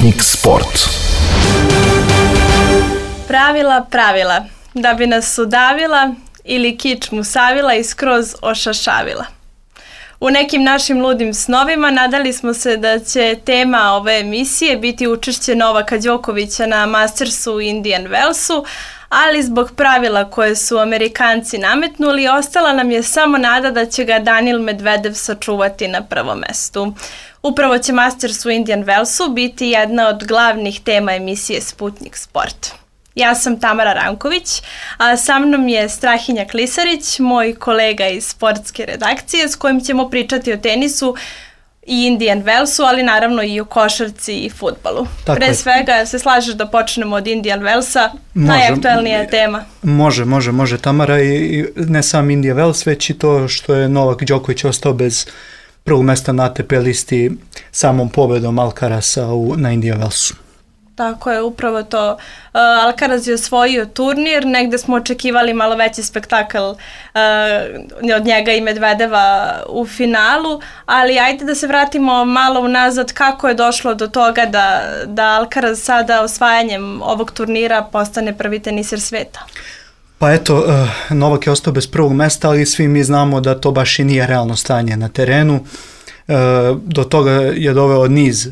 Sputnik Sport. Pravila, da bi nas udavila ili kičmu savila i skroz ošašavila. U nekim našim ludim snovima nadali smo se da će tema ove emisije biti učešće Novaka Đokovića na Mastersu u Indian Wellsu, ali zbog pravila koje su Amerikanci nametnuli, ostala nam je samo nada da će ga Danil Medvedev sačuvati na prvom mestu. Upravo će Masters u Indian Wellsu biti jedna od glavnih tema emisije Sputnik Sport. Ja sam Tamara Ranković, a sa mnom je Strahinja Klisarić, moj kolega iz sportske redakcije, s kojim ćemo pričati o tenisu i Indian Wellsu, ali naravno i o košarci i fudbalu. Pre svega, se slažeš da počnemo od Indian Wellsa, najaktuelnija tema. Može Tamara, i ne sam Indian Wells, već i to što je Novak Đoković ostao bez prvog mesta na ATP listi samom pobedom Alcarasa na Indian Wellsu. Tako je, upravo to. Alcaraz je osvojio turnir, negde smo očekivali malo veći spektakl od njega i Medvedeva u finalu, ali ajde da se vratimo malo unazad kako je došlo do toga da Alcaraz sada osvajanjem ovog turnira postane prvi teniser sveta. Pa eto, Novak je ostao bez prvog mesta, ali svi mi znamo da to baš i nije realno stanje na terenu. Do toga je doveo niz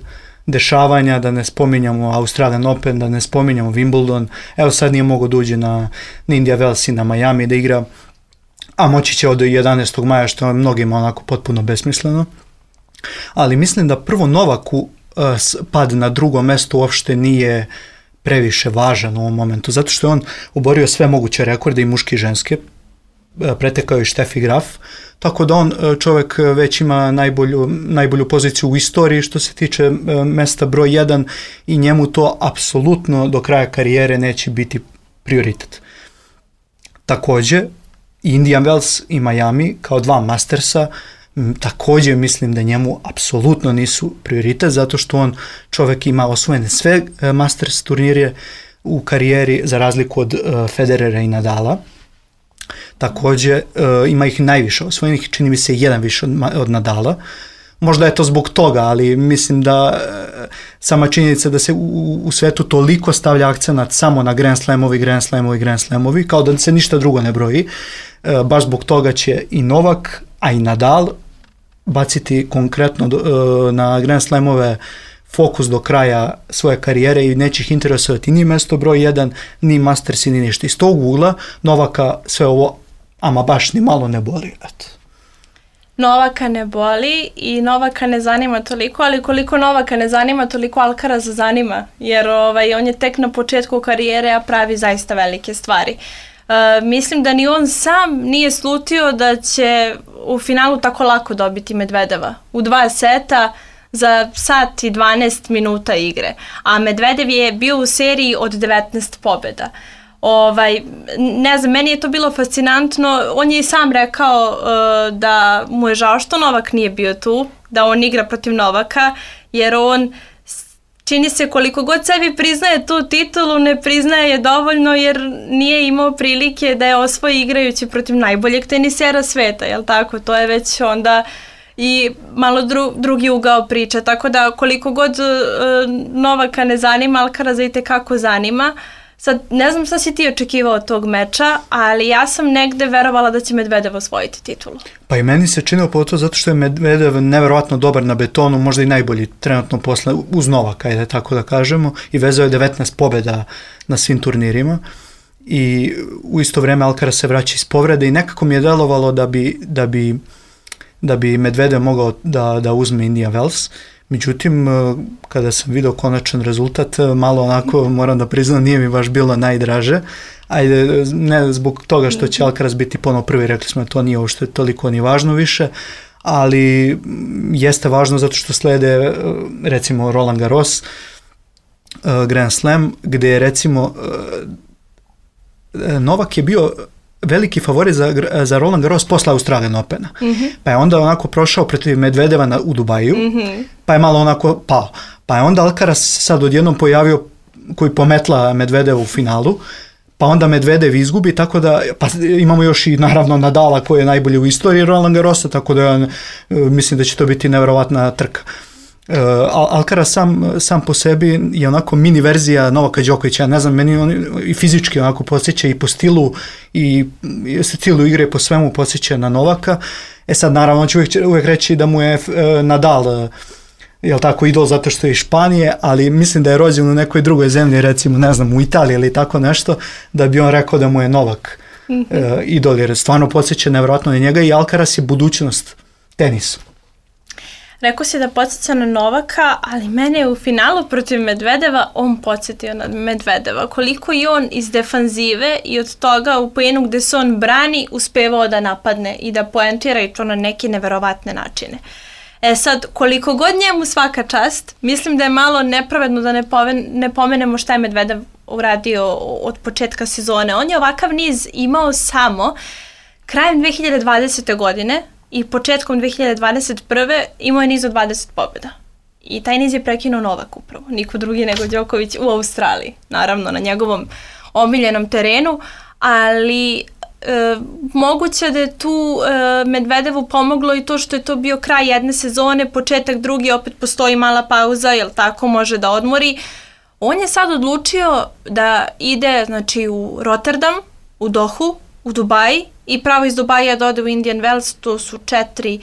dešavanja, da ne spominjamo Australian Open, da ne spominjamo Wimbledon. Evo sad nije mogao da uđe na Indian Wells i na Miami da igra, a moći će od 11. maja, što je mnogima onako potpuno besmisleno. Ali mislim da prvo Novaku pad na drugo mesto uopšte nije previše važan u ovom momentu, zato što je on oborio sve moguće rekorde, i muške i ženske, pretekao je Steffi Graf, tako da on čovjek već ima najbolju poziciju u istoriji što se tiče mesta broj 1, i njemu to apsolutno do kraja karijere neće biti prioritet. Također, Indian Wells i Miami kao dva Mastersa, također mislim da njemu apsolutno nisu prioritet, zato što on čovjek ima osvojene sve Masters turnire u karijeri, za razliku od Federera i Nadala. Također ima ih najviše osvojenih, čini mi se jedan više od Nadala. Možda je to zbog toga, ali mislim da sama činjenica da se u svetu toliko stavlja akcenat samo na Grand Slamovi, kao da se ništa drugo ne broji. Baš zbog toga će i Novak, a i Nadal baciti konkretno na Grand Slamove fokus do kraja svoje karijere i neće ih interesovati ni mesto broj 1, ni Mastersi, ni ništa. Iz tog ugla Novaka sve ovo ama baš ni malo ne boli. Eto. Novaka ne boli i Novaka ne zanima toliko, ali koliko Novaka ne zanima, toliko Alcaraz zanima, jer on je tek na početku karijere, a pravi zaista velike stvari. Mislim da ni on sam nije slutio da će u finalu tako lako dobiti Medvedeva. U 2 seta za sat i 12 minuta igre. A Medvedev je bio u seriji od 19 pobjeda. Ne znam, meni je to bilo fascinantno. On je i sam rekao da mu je žao što Novak nije bio tu, da on igra protiv Novaka, jer on čini se koliko god sebi priznaje tu titulu, ne priznaje je dovoljno jer nije imao prilike da je osvoji igrajući protiv najboljeg tenisera sveta, jel tako? To je već onda i malo drugi ugao priče, tako da koliko god Novaka ne zanima, Alcaraza itekako zanima. Sad, ne znam šta si ti očekivao od tog meča, ali ja sam negde verovala da će Medvedev osvojiti titulu. Pa i meni se činilo po to zato što je Medvedev neverovatno dobar na betonu, možda i najbolji trenutno posle uz Novaka, ajde tako da kažemo, i vezao je 19 pobjeda na svim turnirima. I u isto vrijeme Alcaraz se vraća iz povrede i nekako mi je delovalo da bi Medvedev mogao da uzme Indian Wells. Međutim, kada sam vidio konačan rezultat, malo onako, moram da priznam, nije mi baš bilo najdraže. Ajde, ne zbog toga što će Alcaraz biti ponovo prvi, rekli smo da to nije uopšte toliko ni važno više, ali jeste važno zato što slede recimo Roland Garros, Grand Slam, gdje je recimo Novak je bio veliki favorit za Roland Garros posle Australian Opena. Pa je onda onako prošao protiv Medvedeva u Dubaju, pa je malo onako pao. Pa je onda Alcaraz sad odjednom pojavio koji pometla Medvedeva u finalu, pa onda Medvedev izgubi, tako da pa imamo još i naravno Nadala koji je najbolji u istoriji Roland Garrosa, tako da mislim da će to biti neverovatna trka. Alcaraz sam po sebi je onako mini verzija Novaka Đokovića, ne znam, meni on i fizički onako podsjeća i po stilu i stilu igre, po svemu podsjeća na Novaka. Sad naravno on će uvijek reći da mu je Nadal jel tako, idol zato što je iz Španije, ali mislim da je rođen u nekoj drugoj zemlji, recimo, ne znam, u Italiji ili tako nešto, da bi on rekao da mu je Novak idol, jer stvarno podsjeća nevjerojatno na njega i Alcaraz je budućnost tenisa. Rekao si da podsjeća na Novaka, ali mene je u finalu protiv Medvedeva on podsjetio na Medvedeva. Koliko je on iz defanzive i od toga u poenu gde se on brani uspevao da napadne i da poentira i to na neke neverovatne načine. Sad, koliko god njemu svaka čast, mislim da je malo nepravedno da ne pomenemo šta je Medvedev uradio od početka sezone. On je ovakav niz imao samo krajem 2020. godine i početkom 2021. imao je niz od 20 pobjeda. I taj niz je prekinuo Novak upravo, niko drugi nego Đoković u Australiji. Naravno, na njegovom omiljenom terenu, ali moguće da je tu Medvedevu pomoglo i to što je to bio kraj jedne sezone, početak drugi, opet postoji mala pauza, jel tako, može da odmori. On je sad odlučio da ide, znači, u Rotterdam, u Dohu, u Dubai i pravo iz Dubaja da ode u Indian Wells. To su 4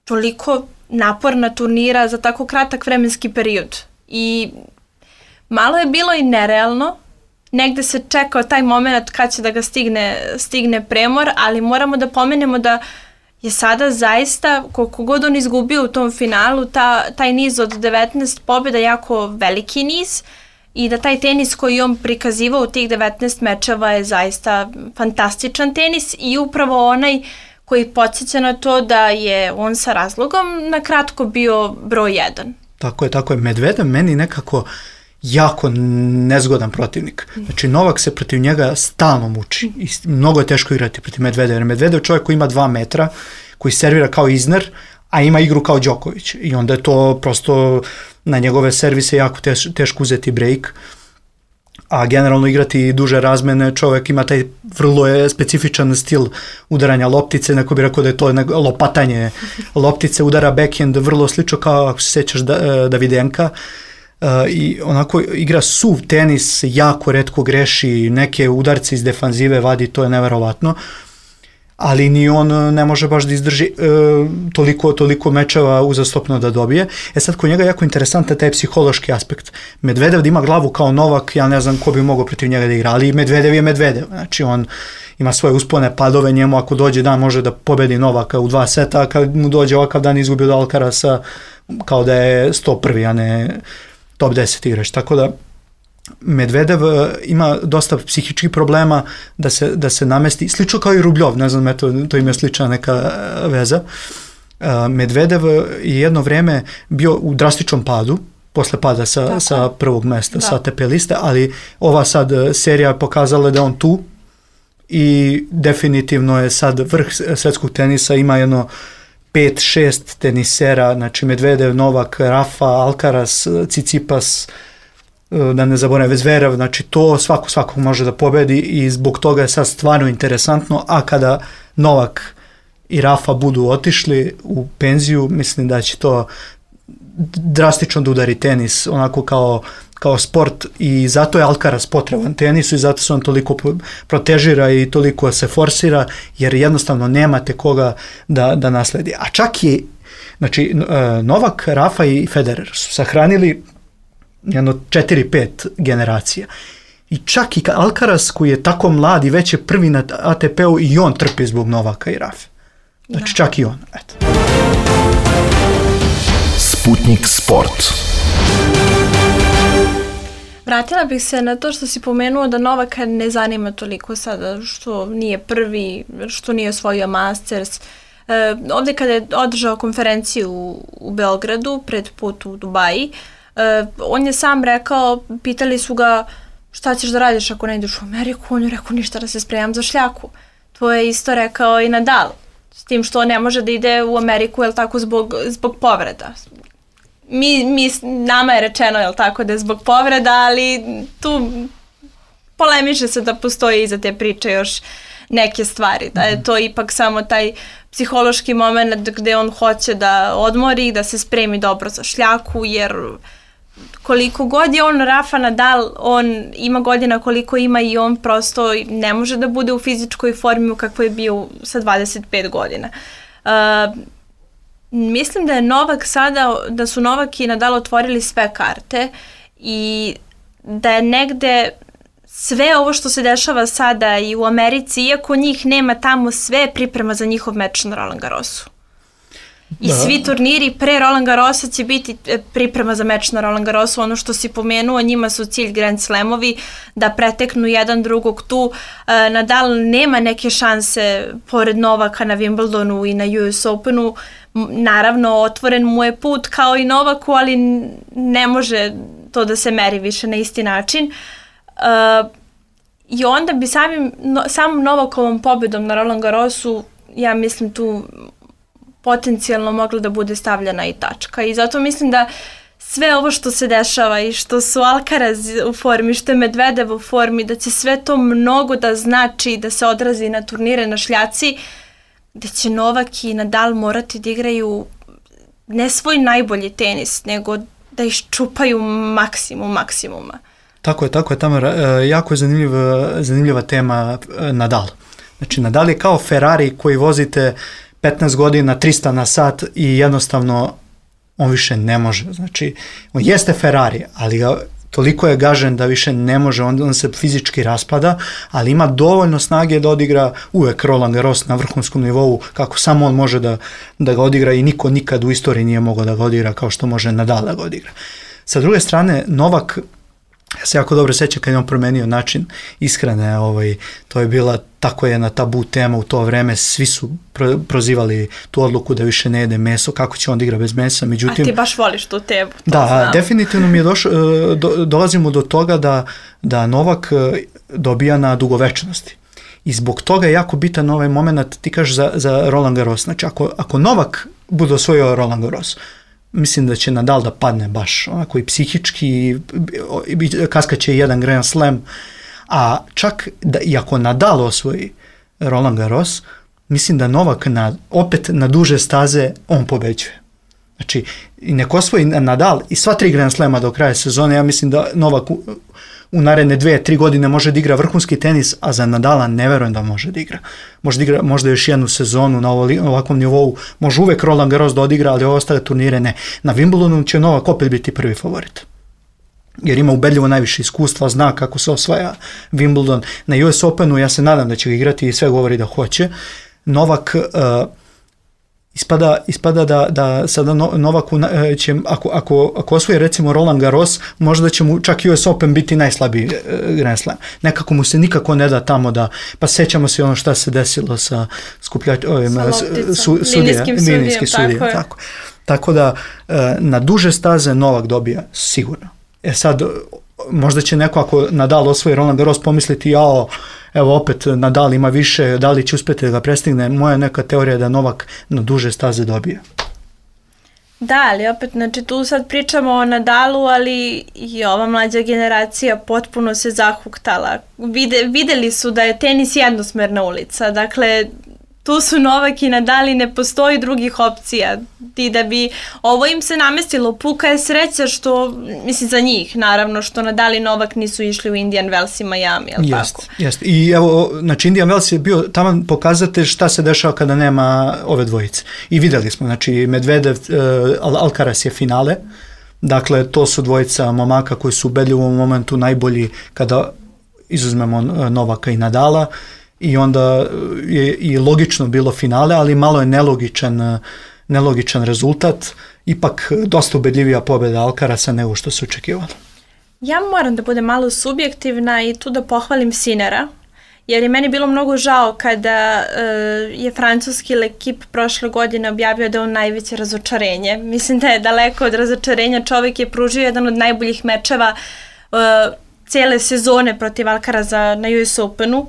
toliko naporna turnira za tako kratak vremenski period. I malo je bilo i nerealno. Negde se čekao taj moment kad će da ga stigne premor, ali moramo da pomenemo da je sada zaista, koliko god on izgubio u tom finalu, taj niz od 19 pobjeda jako veliki niz i da taj tenis koji on prikazivao u tih 19 mečeva je zaista fantastičan tenis i upravo onaj koji podsjeća na to da je on sa razlogom na kratko bio broj 1. Tako je. Medvedev meni nekako jako nezgodan protivnik. Znači, Novak se protiv njega stalno muči i mnogo je teško igrati protiv Medvedeva. Medvedev je čovjek koji ima 2 metra, koji servira kao Isner, a ima igru kao Đoković. I onda je to prosto na njegove servise jako teško uzeti break. A generalno igrati duže razmene, čovjek ima taj vrlo specifičan stil udaranja loptice, neko bi rekao da je to lopatanje loptice, udara backhand, vrlo slično kao, ako se sjećaš, Davidenka. I onako igra suv tenis, jako retko greši, neke udarce iz defanzive vadi, to je neverovatno, ali ni on ne može baš da izdrži toliko mečeva uzastopno da dobije. Sad kod njega je jako interesantan taj psihološki aspekt. Medvedev da ima glavu kao Novak, ja ne znam ko bi mogao protiv njega da igra, ali Medvedev je Medvedev, znači on ima svoje uspone, padove, njemu ako dođe dan može da pobedi Novaka u 2 seta, a kad mu dođe ovakav dan izgubi od Alcarasa kao da je 101, a ne top 10 igrač, tako da Medvedev ima dosta psihičkih problema da se namesti, slično kao i Rubljov, ne znam, to ima slična neka veza. Medvedev je jedno vreme bio u drastičnom padu, posle pada sa prvog mesta, sa ATP liste, ali ova sad serija pokazala da on tu i definitivno je sad vrh svetskog tenisa, ima jedno 5-6 tenisera, znači Medvedev, Novak, Rafa, Alcaraz, Tsitsipas, da ne zaboravim, Zverev, znači to svako može da pobedi i zbog toga je sad stvarno interesantno, a kada Novak i Rafa budu otišli u penziju, mislim da će to drastično da udari tenis, onako kao sport, i zato je Alcaraz potreban tenisu i zato se on toliko protežira i toliko se forsira, jer jednostavno nemate koga da nasledi. A čak i, znači, Novak, Rafa i Federer su sahranili jedno 4-5 generacija. I čak i Alcaraz koji je tako mlad i već je prvi na ATP-u, i on trpi zbog Novaka i Rafe. Znači čak i on. Eto. Sputnik Sport. Vratila bih se na to što si pomenuo da Novaka ne zanima toliko sada što nije prvi, što nije osvojio Masters. Ovdje kada je održao konferenciju u Beogradu pred put u Dubaji, on je sam rekao, pitali su ga šta ćeš da radiš ako ne ideš u Ameriku, on je rekao ništa, da se spremam za šljaku. To je isto rekao i Nadal, s tim što ne može da ide u Ameriku, jel tako, zbog povreda. Nama je rečeno, jel tako, da je zbog povreda, ali tu polemiše se da postoji iza te priče još neke stvari, da je to ipak samo taj psihološki moment gde on hoće da odmori, da se spremi dobro za šljaku, jer koliko god je on Rafa Nadal, on ima godina koliko ima i on prosto ne može da bude u fizičkoj formi u kakvoj je bio sa 25 godina. Mislim da je Novak sada, da su Novak i Nadal otvorili sve karte i da je negde sve ovo što se dešava sada i u Americi, iako njih nema tamo, sve priprema za njihov meč na Roland Garrosu. I svi turniri pre Roland Garrosa će biti priprema za meč na Roland Garrosu. Ono što si pomenuo, njima su cilj Grand Slamovi, da preteknu jedan drugog tu. Nadal nema neke šanse pored Novaka na Wimbledonu i na US Openu. Naravno, otvoren mu je put kao i Novaku, ali ne može to da se meri više na isti način. I onda bi samom Novakovom pobedom na Roland Garrosu, ja mislim tu potencijalno mogla da bude stavljena i tačka. I zato mislim da sve ovo što se dešava i što su Alcaraz u formi, što je Medvedev u formi, da će sve to mnogo da znači da se odrazi na turnire na šljaci, da će Novak i Nadal morati da igraju ne svoj najbolji tenis, nego da iščupaju maksimum maksimuma. Tako je, Tamara. Jako je zanimljiva tema Nadal. Znači, Nadal je kao Ferrari koji vozite 15 godina, 300 na sat i jednostavno on više ne može. Znači, on jeste Ferrari, ali toliko je gažen da više ne može, on se fizički raspada, ali ima dovoljno snage da odigra uvek Roland Garros na vrhunskom nivou, kako samo on može da ga odigra i niko nikad u istoriji nije mogao da ga odigra kao što može Nadal da ga odigra. Sa druge strane, Novak, ja se jako dobro sećam kad je on promenio način ishrane, to je bila tako jedna tabu tema u to vreme, svi su prozivali tu odluku da više ne jede meso, kako će on da igra bez mesa, međutim... A ti baš voliš tu temu, to da, znam. Definitivno mi je dolazimo do toga da Novak dobija na dugovečnosti. I zbog toga je jako bitan ovaj moment, ti kažeš za Roland Garros. Znači, ako Novak bude osvojio Roland Garros, mislim da će Nadal da padne baš onako i psihički, kaskaće jedan Grand Slam, a čak i ako Nadal osvoji Roland Garros, mislim da Novak opet na duže staze on pobeđuje. Znači, i nek osvoji Nadal i sva 3 Grand Slama do kraja sezone, ja mislim da Novak u naredne 2-3 godine može da igra vrhunski tenis, a za Nadala ne verujem da može da igra. Može da igra možda još jednu sezonu na ovakvom nivou, može uvek Roland Garros da odigra, ali ostale turnire ne. Na Wimbledonu će Novak opet biti prvi favorit. Jer ima ubedljivo najviše iskustva, zna kako se osvaja Wimbledon. Na US Openu ja se nadam da će ga igrati i sve govori da hoće. Novak... Ispada da sada Novaku će, ako osvoji recimo Roland Garros, možda će mu čak US Open biti najslabiji Grand Slam. Nekako mu se nikako ne da tamo pa sećamo se ono šta se desilo sa linijskim sudijama. Tako da na duže staze Novak dobija sigurno. Sad, možda će neko ako Nadal osvoji Roland Garros pomisliti evo opet Nadal ima više, da li će uspjeti da ga prestigne. Moja neka teorija je da Novak na duže staze dobija. Da, ali opet, znači tu sad pričamo o Nadalu, ali i ova mlađa generacija potpuno se zahuktala. Videli su da je tenis jednosmerna ulica, dakle tu su Novak i Nadal i ne postoji drugih opcija. I da bi ovo im se namestilo, puka je sreća što, mislim za njih naravno, što Nadal i Novak nisu išli u Indian Wells i Miami, jel tako? Jeste. I evo, znači Indian Wells je bio tamo pokazatelj šta se dešava kada nema ove dvojice. I videli smo, znači Medvedev, Alcaraz je finale, dakle to su dvojica momaka koji su ubedljivo u momentu najbolji kada izuzmemo Novaka i Nadala. I onda je i logično bilo finale, ali malo je nelogičan rezultat. Ipak dosta ubedljivija pobjeda Alcaraza nego što se očekivalo. Ja moram da budem malo subjektivna i tu da pohvalim Sinera, jer je meni bilo mnogo žao kada je francuski ekip prošle godine objavio da je on najveće razočarenje. Mislim da je daleko od razočarenja, čovjek je pružio jedan od najboljih mečeva cijele sezone protiv Alcaraza na US Openu.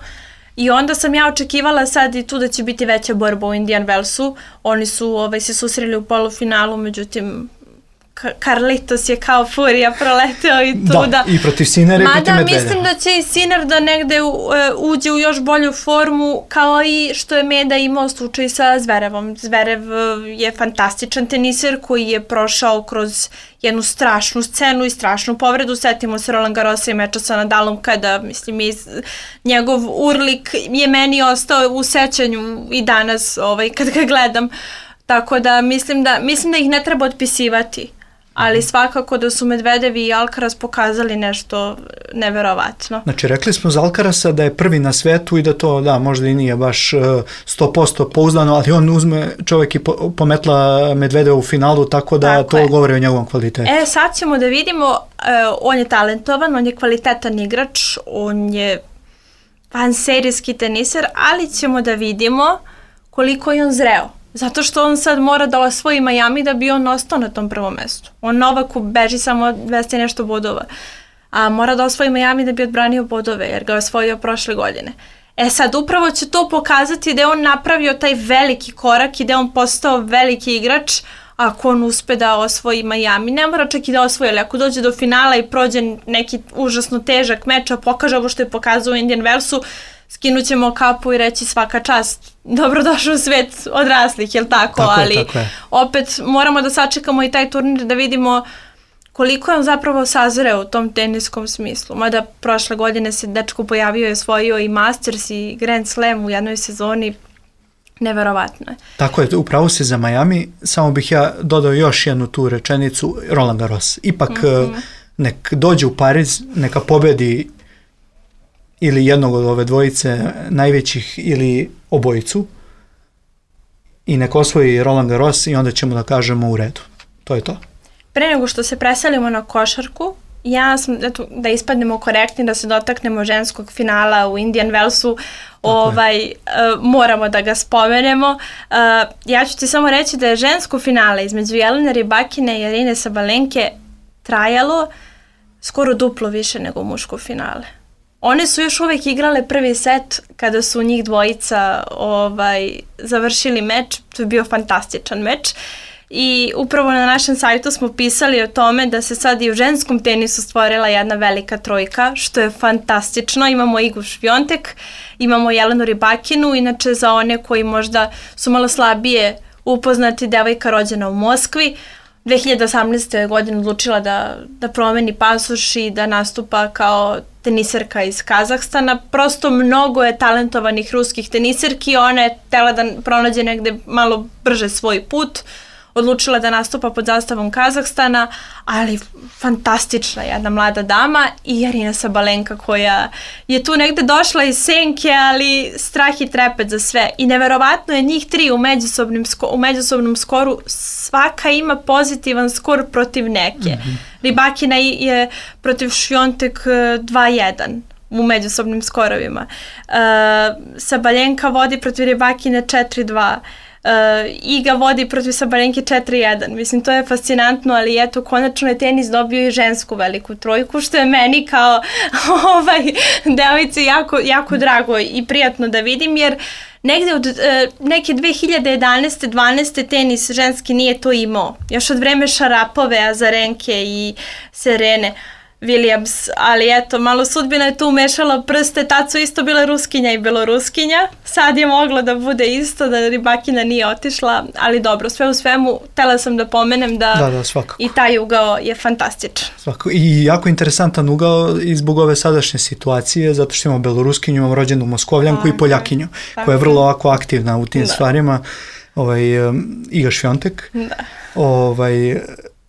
I onda sam ja očekivala sad i tu da će biti veća borba u Indian Wellsu. Oni su se susreli u polufinalu, međutim Carlitos je kao furija proleteo i tu da. I protiv Sinera i protiv Medvedeva. Mislim da će i Siner da negde uđe u još bolju formu, kao i što je Meda imao slučaj sa Zverevom. Zverev je fantastičan teniser koji je prošao kroz jednu strašnu scenu i strašnu povredu. Setimo se Roland Garrosa i meča sa Nadalom kada, mislim, njegov urlik je meni ostao u sećanju i danas kad ga gledam. Tako da mislim da ih ne treba otpisivati, ali svakako da su Medvedev i Alcaraz pokazali nešto neverovatno. Znači, rekli smo za Alcarasa da je prvi na svetu i da to, da, možda i nije baš 100% pouzdano, ali on uzme čovjek i pometla Medvedeva u finalu, tako da to govori o njegovom kvalitetu. Sad ćemo da vidimo, on je talentovan, on je kvalitetan igrač, on je vanserijski teniser, ali ćemo da vidimo koliko je on zreo. Zato što on sad mora da osvoji Miami da bi on ostao na tom prvom mestu. On Novaku beži samo 200 nešto bodova. A mora da osvoji Miami da bi odbranio bodove, jer ga je osvojio prošle godine. Sad upravo će to pokazati da je on napravio taj veliki korak i da je on postao veliki igrač ako on uspe da osvoji Miami. Ne mora čak i da osvoji, ali ako dođe do finala i prođe neki užasno težak meč, a pokaže ovo što je pokazao u Indian Wellsu, skinut ćemo kapu i reći svaka čast, dobrodošao u svet odraslih, jel tako? Ali opet moramo da sačekamo i taj turnir da vidimo koliko je on zapravo sazreo u tom teniskom smislu. Mada prošle godine se dečko pojavio i osvojio i Masters i Grand Slam u jednoj sezoni. Neverovatno je. Tako je, upravo si za Miami, samo bih ja dodao još jednu tu rečenicu, Roland Garros. Ipak nek dođe u Pariz, neka pobedi ili jednog od ove dvojice najvećih ili obojicu i nek osvoji Roland Garros i onda ćemo da kažemo u redu. To je to. Pre nego što se preselimo na košarku, ja sam, da ispadnemo korektni, da se dotaknemo ženskog finala u Indian Wellsu, moramo da ga spomenemo. Ja ću ti samo reći da je žensko finale između Jelene Rybakine i Arine Sabalenke trajalo skoro duplo više nego muško finale. One su još uvijek igrale prvi set kada su njih dvojica završili meč. To je bio fantastičan meč. I upravo na našem sajtu smo pisali o tome da se sad i u ženskom tenisu stvorila jedna velika trojka, što je fantastično. Imamo Igu Swiatek, imamo Jelenu Rybakinu, inače za one koji možda su malo slabije upoznati, devojka rođena u Moskvi. 2018. godine odlučila da promeni pasoš i da nastupa kao teniserka iz Kazahstana. Prosto mnogo je talentovanih ruskih teniserki, ona je htela da pronađe negde malo brže svoj put, odlučila da nastupa pod zastavom Kazahstana, ali fantastična jedna mlada dama i Arina Sabalenka koja je tu negde došla iz senke, ali strah i trepet za sve. I neverovatno je njih tri u međusobnom skoru, svaka ima pozitivan skor protiv neke. Rybakina je protiv Swiatek 2-1 u međusobnim skorovima. Sabalenka vodi protiv Rybakine 4-2. Iga vodi protiv Sabalenke 4-1. Mislim, to je fascinantno, ali eto, konačno je tenis dobio i žensku veliku trojku, što je meni kao devojci jako drago i prijatno da vidim, jer negde od neke 2011. 12. tenis ženski nije to imao. Još od vreme Šarapove, Azarenke i Serene Williams, ali eto, malo sudbina je tu umešala prste, tad su isto bile Ruskinja i Beloruskinja, sad je moglo da bude isto, da Rybakina nije otišla, ali dobro, sve u svemu, htela sam da pomenem da i taj ugao je fantastičan. Svakako. I jako interesantan ugao i zbog ove sadašnje situacije, zato što imamo Beloruskinju, imamo rođenu Moskovljanku i Poljakinju, koja je vrlo ovako aktivna u tim stvarima, Iga Swiatek.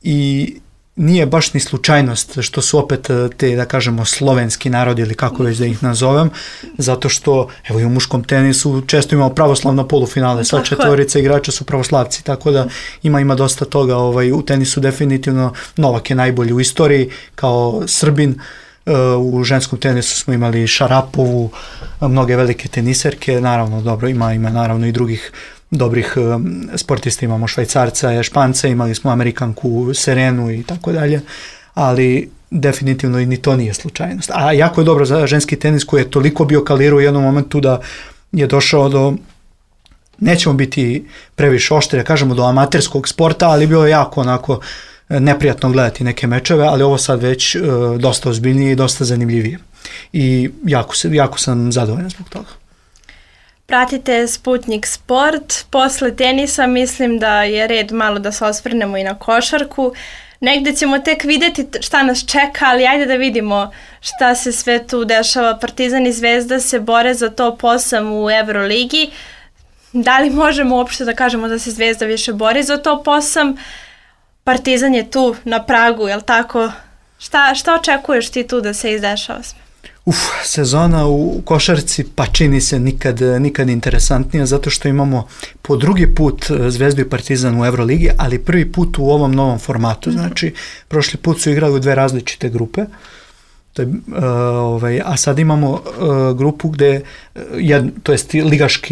I nije baš ni slučajnost što su opet te, da kažemo, slovenski narodi ili kako već da ih nazovem, zato što, evo i u muškom tenisu često imamo pravoslavno polufinale, sva četvorica igrača su pravoslavci, tako da ima dosta toga u tenisu definitivno. Novak je najbolji u istoriji kao Srbin, u ženskom tenisu smo imali Šarapovu, mnoge velike teniserke, naravno dobro, ima naravno i drugih dobrih sportista, imamo Švajcarca, Španca, imali smo Amerikanku Serenu i tako dalje, ali definitivno i ni to nije slučajnost. A jako je dobro za ženski tenis koji je toliko bio kalirao u jednom momentu da je došao do, nećemo biti previše oštri, kažemo do amaterskog sporta, ali bio je jako onako neprijatno gledati neke mečeve, ali ovo sad već dosta ozbiljnije i dosta zanimljivije. I jako sam zadovoljan zbog toga. Pratite Sputnik Sport. Posle tenisa mislim da je red malo da se osvrnemo i na košarku. Negde ćemo tek vidjeti šta nas čeka, ali ajde da vidimo šta se sve tu dešava. Partizan i Zvezda se bore za top 8 u Euroligi. Da li možemo uopšte da kažemo da se Zvezda više bori za top 8? Partizan je tu na pragu, jel tako? Šta očekuješ ti tu da se izdešava sve? Sezona u košarci pa čini se nikad interesantnija, zato što imamo po drugi put Zvezdu i Partizan u Euroligi, ali prvi put u ovom novom formatu. Znači, prošli put su igrali u dve različite grupe, a sad imamo grupu gde, to jest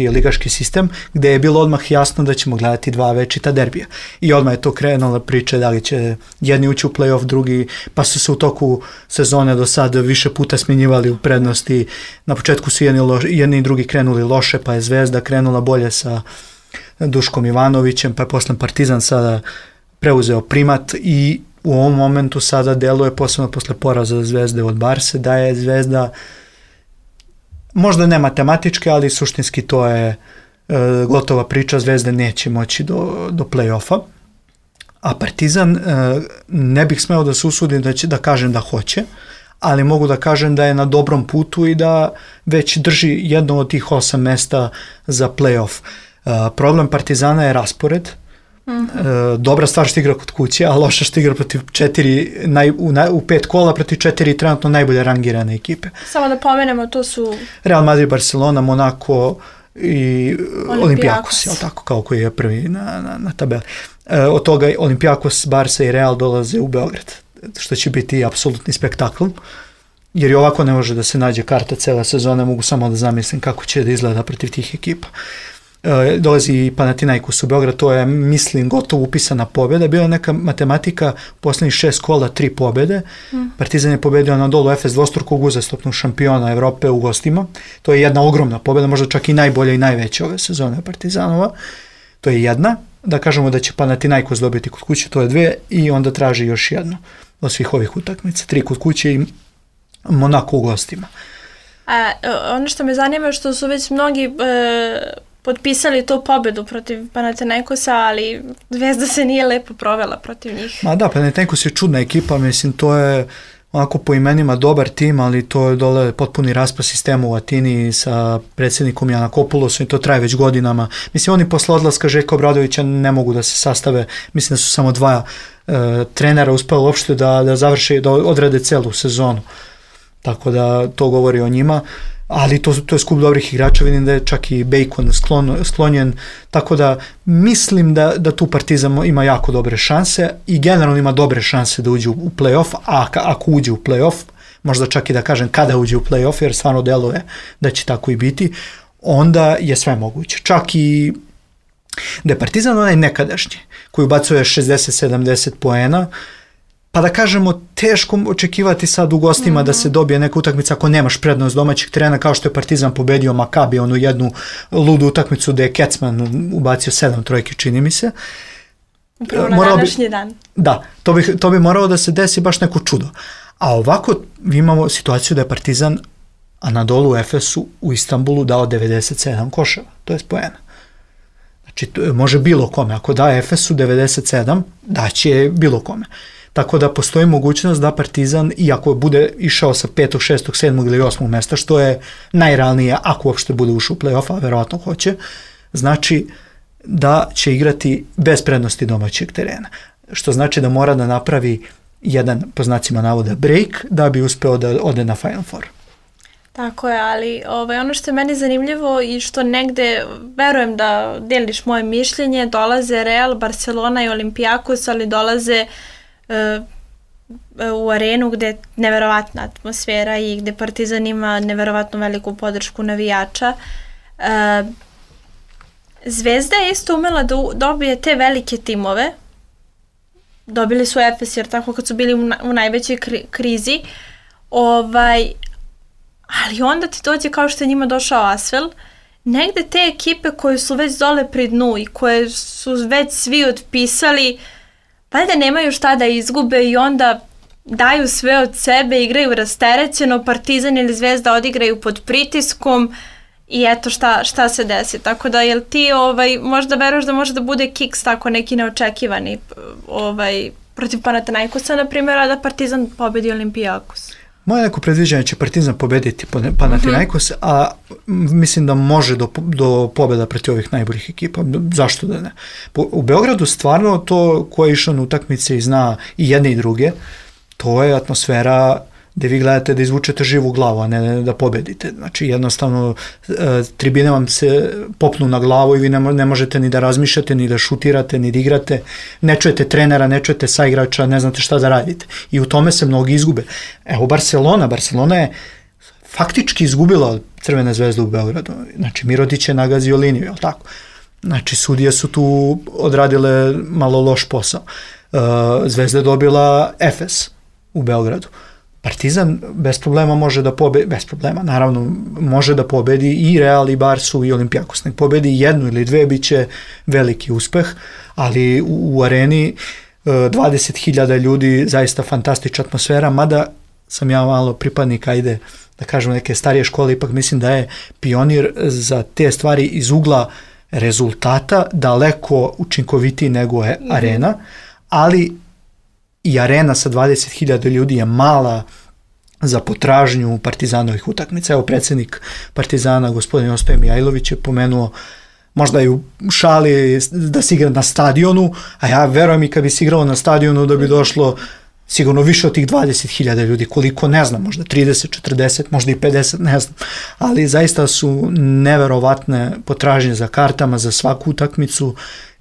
ligaški sistem, gde je bilo odmah jasno da ćemo gledati dva večita derbija. I odmah je to krenula priča da li će jedni ući u play-off, drugi, pa su se u toku sezone do sad više puta smjenjivali u prednosti. Na početku su jedni i drugi krenuli loše, pa je Zvezda krenula bolje sa Duškom Ivanovićem, pa je posle Partizan sada preuzeo primat i u ovom momentu sada deluje, posebno posle poraza Zvezde od Barse, da je Zvezda možda ne matematički, ali suštinski to je gotova priča, Zvezda neće moći do play-offa. A Partizan ne bih smeo da se usudim da kažem da hoće, ali mogu da kažem da je na dobrom putu i da već drži jedno od tih 8 mesta za play-off. Problem Partizana je raspored. Dobra stvar što igra kod kuće, a loša što igra protiv 4 u 5 kola protiv 4 trenutno najbolje rangirane ekipe. Samo da pomenemo, to su Real Madrid, Barcelona, Monaco i Olympiakos, jel tako, kao koji je prvi na tabeli. Od toga Olympiakos, Barca i Real dolaze u Beograd, što će biti apsolutni spektakl, jer i ovako ne može da se nađe karta cele sezone, mogu samo da zamislim kako će da izgleda protiv tih ekipa. Dolazi i Panathinaikos u Beograd, to je, mislim, gotovo upisana pobjeda. Bila je neka matematika, poslednjih 6 kola 3 pobjede. Partizan je pobedio Anadolu Efes, dvostrukog uzastopnog šampiona Evrope u gostima. To je jedna ogromna pobjeda, možda čak i najbolja i najveća ove sezone Partizanova. To je jedna. Da kažemo da će Panathinaikos dobiti kod kuće, to je 2, i onda traži još jedno od svih ovih utakmica. 3 kod kuće i Monaco u gostima. Ono što me zanima je što su već mnogi potpisali tu pobedu protiv Panathinaikosa, ali Zvezda se nije lepo provela protiv njih. Ma da, Panathinaikos je čudna ekipa, mislim, to je onako po imenima dobar tim, ali to je dole potpuni raspad sistema u Atini sa predsjednikom Janakopulosom i to traje već godinama. Mislim, oni posle odlaska Željka Obradovića ne mogu da se sastave, mislim da su samo 2 trenera uspeli uopšte da završe, da odrade celu sezonu. Tako da to govori o njima. Ali to je skup dobrih igrača, vidim da je čak i Bacon sklonjen, tako da mislim da tu Partizan ima jako dobre šanse i generalno ima dobre šanse da uđe u play-off, a ako uđe u play-off, možda čak i da kažem kada uđe u play-off, jer stvarno deluje da će tako i biti, onda je sve moguće. Čak i da je Partizan onaj nekadašnji, koji ubacuje 60-70 poena, pa da kažemo, teško očekivati sad u gostima da se dobije neka utakmica ako nemaš prednost domaćeg terena, kao što je Partizan pobedio Makabi, onu jednu ludu utakmicu gde je Kecman ubacio 7 trojki, čini mi se. Upravo na današnji dan. Da, to bi moralo da se desi baš neko čudo. A ovako imamo situaciju da je Partizan Anadolu Efesu u Istanbulu dao 97 koševa, to je poena. Znači, može bilo kome. Ako da Efesu 97, daće bilo kome. Tako da postoji mogućnost da Partizan, iako bude išao sa 5., 6., 7. ili 8. mesta, što je najrealnije ako uopšte bude ušao u play-off, a verovatno hoće, znači da će igrati bez prednosti domaćeg terena. Što znači da mora da napravi jedan, po znacima navoda, break da bi uspeo da ode na Final Four. Tako je, ali ono što je meni zanimljivo i što negde, verujem da deliš moje mišljenje, dolaze Real, Barcelona i Olympiakos, ali dolaze u arenu gde je neverovatna atmosfera i gde Partizan ima neverovatno veliku podršku navijača. Zvezda je isto umela da dobije te velike timove. Dobili su Efes, jer tako kad su bili u najvećoj krizi. Ali onda ti dođe kao što je njima došao Asvel. Negde te ekipe koje su već dole pri dnu i koje su već svi otpisali, valjda nemaju šta da izgube i onda daju sve od sebe, igraju rasterećeno, Partizan ili Zvezda odigraju pod pritiskom i eto šta se desi. Tako da, jel ti možda veruješ da može da bude kiks tako neki neočekivani protiv Panathinaikosa, na primjer, a da Partizan pobedi Olimpijakos? Moje neko predviđanje će Partizan pobediti Panathinaikos, a mislim da može do pobjeda protiv ovih najboljih ekipa. Zašto da ne? U Beogradu stvarno to ko je išao na utakmice i zna i jedne i druge, to je atmosfera gde vi gledate da izvučete živu glavu, a ne da pobedite. Znači jednostavno tribine vam se popnu na glavu i vi ne možete ni da razmišljate, ni da šutirate, ni da igrate, ne čujete trenera, ne čujete saigrača, ne znate šta da radite. I u tome se mnogi izgube. Evo Barcelona je faktički izgubila od Crvene zvezde u Beogradu. Znači Mirodić je nagazio liniju, je li tako? Znači sudije su tu odradile malo loš posao. Zvezda je dobila Efes u Beogradu. Partizan bez problema može da pobedi, bez problema, naravno, može da pobedi i Real, i Barsu, i Olimpijakos. Nek pobedi jednu ili dve, bit će veliki uspeh, ali u areni 20.000 ljudi, zaista fantastična atmosfera, mada sam ja malo pripadnik, ajde, da kažem, neke starije škole, ipak mislim da je Pionir za te stvari iz ugla rezultata daleko učinkovitiji nego je Arena, ali i Arena sa 20.000 ljudi je mala za potražnju Partizanovih utakmica. Evo predsjednik Partizana, gospodin Ostoje Mijajlović, je pomenuo možda i u šali da se igra na stadionu, a ja verujem i kad bi se igralo na stadionu da bi došlo sigurno više od tih 20.000 ljudi, koliko ne znam, možda 30, 40, možda i 50, ne znam, ali zaista su neverovatne potražnje za kartama za svaku utakmicu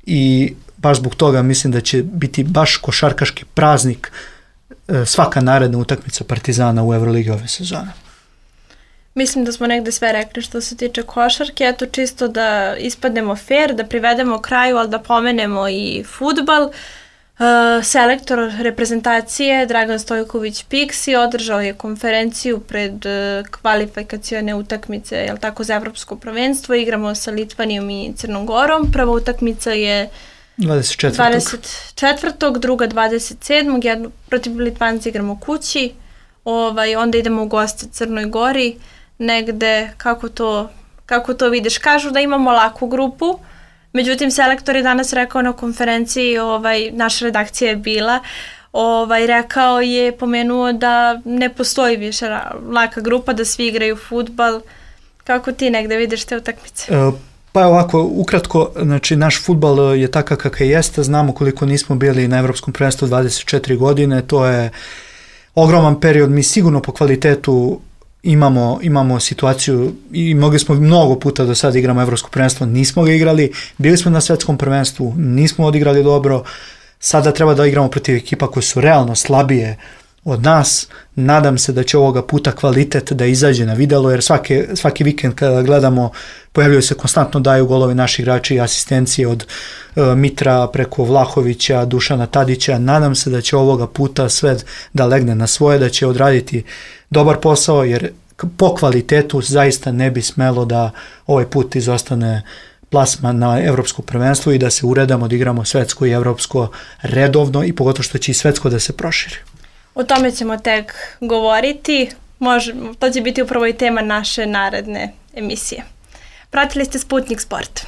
i baš zbog toga mislim da će biti baš košarkaški praznik svaka naredna utakmica Partizana u Euroligi ove sezone. Mislim da smo negde sve rekli što se tiče košarke, eto čisto da ispadnemo fair, da privedemo kraju, ali da pomenemo i fudbal. Selektor reprezentacije Dragan Stojković Piksi održao je konferenciju pred kvalifikacione utakmice, jel tako, za evropsko prvenstvo. Igramo sa Litvanijom i Crnom Gorom. Prva utakmica je 24. druga 27. Jednu protiv Litvanci igramo kući, onda idemo u goste Crnoj Gori, negde, kako to vidiš? Kažu da imamo laku grupu, međutim selektor je danas rekao na konferenciji, naša redakcija je bila, rekao je, pomenuo da ne postoji više laka grupa, da svi igraju fudbal. Kako ti negde vidiš te utakmice? Pa ovako, ukratko, znači naš fudbal je takav kakav jeste, znamo koliko nismo bili na Evropskom prvenstvu 24 godine, to je ogroman period, mi sigurno po kvalitetu imamo situaciju i mogli smo mnogo puta do sada igramo Evropsko prvenstvo, nismo ga igrali, bili smo na svetskom prvenstvu, nismo odigrali dobro, sada treba da igramo protiv ekipa koje su realno slabije od nas. Nadam se da će ovoga puta kvalitet da izađe na videlo, jer svaki vikend kada gledamo pojavljaju se konstantno, daju golovi naši igrači i asistencije od Mitra preko Vlahovića, Dušana Tadića. Nadam se da će ovoga puta sve da legne na svoje, da će odraditi dobar posao, jer po kvalitetu zaista ne bi smelo da ovaj put izostane plasman na evropsko prvenstvo i da se uredamo da igramo svetsko i evropsko redovno i pogotovo što će i svetsko da se proširi. O tome ćemo tek govoriti, to će biti upravo i tema naše naredne emisije. Pratili ste Sputnik Sport.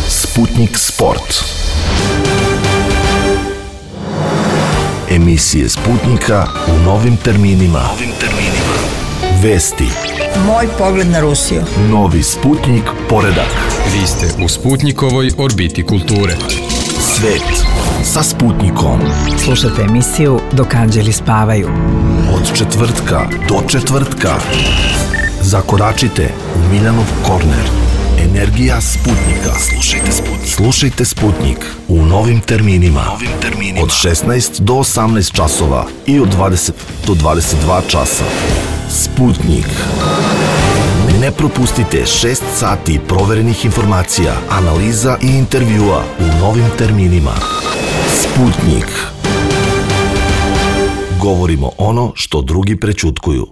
Sputnik Sport. Emisije Sputnika u novim terminima. Vesti. Moj pogled na Rusiju. Novi Sputnik poredak. Vi ste u Sputnikovoj orbiti kulture. Svet sa Sputnikom. Slušajte emisiju Dok anđeli spavaju. Od četvrtka do četvrtka. Zakoračite u Miljanov korner. Energija Sputnika. Slušajte Sputnik u novim terminima. Od 16 do 18 časova i od 20 do 22 časa. Sputnik. Ne propustite 6 sati proverenih informacija, analiza i intervjua u novim terminima. Sputnik. Govorimo ono što drugi prećutkuju.